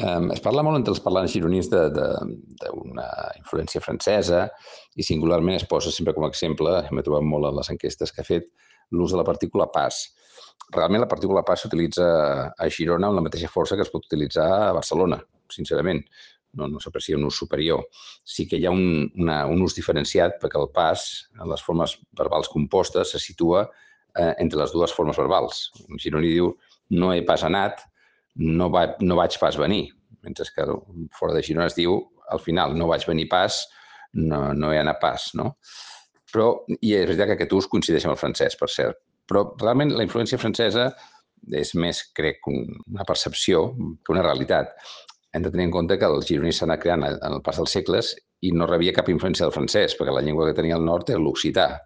Es parla molt entre els parlants gironins d'una influència francesa i singularment es posa sempre com a exemple, m'he trobat molt en les enquestes que ha fet, l'ús de la partícula pas. Realment la partícula pas s'utilitza a Girona amb la mateixa força que es pot utilitzar a Barcelona, sincerament. No s'aprecia un ús superior. Sí que hi ha un ús diferenciat perquè el pas, en les formes verbals compostes, se situa entre les dues formes verbals. En gironí diu no he pas anat, no vaig pas venir, mentre que fora de Girona es diu al final no vaig venir pas, no he anat pas, no? Però, i és veritat que aquest ús coincideix amb el francès, per cert, però realment la influència francesa és més, crec, una percepció que una realitat. Hem de tenir en compte que el gironí s'ha anat creant en el pas dels segles i no rebia cap influència del francès, perquè la llengua que tenia al nord era l'occità.